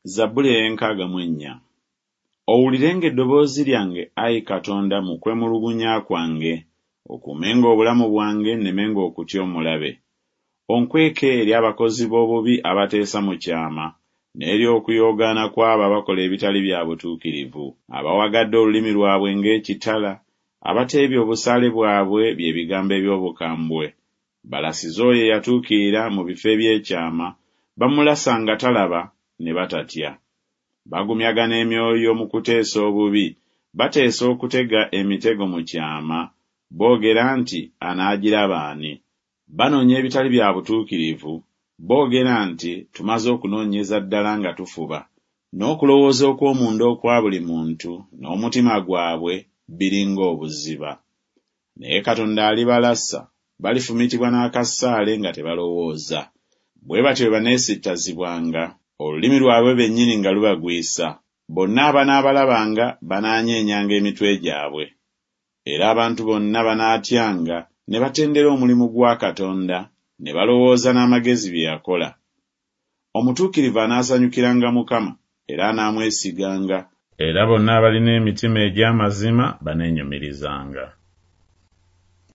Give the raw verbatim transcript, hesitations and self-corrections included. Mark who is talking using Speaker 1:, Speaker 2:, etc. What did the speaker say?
Speaker 1: Zabbuli ey'enkaaga mu ennya. Owulirenga eddoboozi lyange, ayi Katonda, mu kwemulugunya kwange, okuumenga obulamu bwange nnemenga okutya omulabe. Onkweke eri abakozi b'obubi abateesa mu kyama, n'eri okuyoogaana kw'abo abakola ebitali bya butuukirivu, abawagadde olulimi lwabwe ng'ekitala, abateebye obusaale bwabwe bye bigambo eby'obukambwe. Balasize oyo eyatuukirira mu bifo eby'ekyama, bamulasa nga talaba, ne batatya. Bagumyagana emyoyo mu kuteesa obubi, bateesa okutega emitego mu kyama, boogera nti, Anaagiraba ani? Banoonya ebitali bya butuukirivu, boogera nti, Tumaze okunoonyeza ddala nga tufuba. N'okulowooza okw'omunda okwa buli muntu n'omutima gwabwe biri ng'obuziba. Naye Katonda alibalasa, balifumitibwa n'akasaale nga tebalowooza. Bwe batyo bwe baneesittazibwanga, olulimi lwabwe bennyini nga lubagwisa. Bonna abanaabalabanga banaanyeenyanga emitwe gyabwe. Era abantu bonna banaatyanga ne batendera omulimu gwa Katonda, ne balowooza n'amagezi bye yakola. Omutuukirivu anaasanyukiranga Mukama, era anaamwesiganga. Era bonna abalina emitima egy'amazima baneenyumirizanga.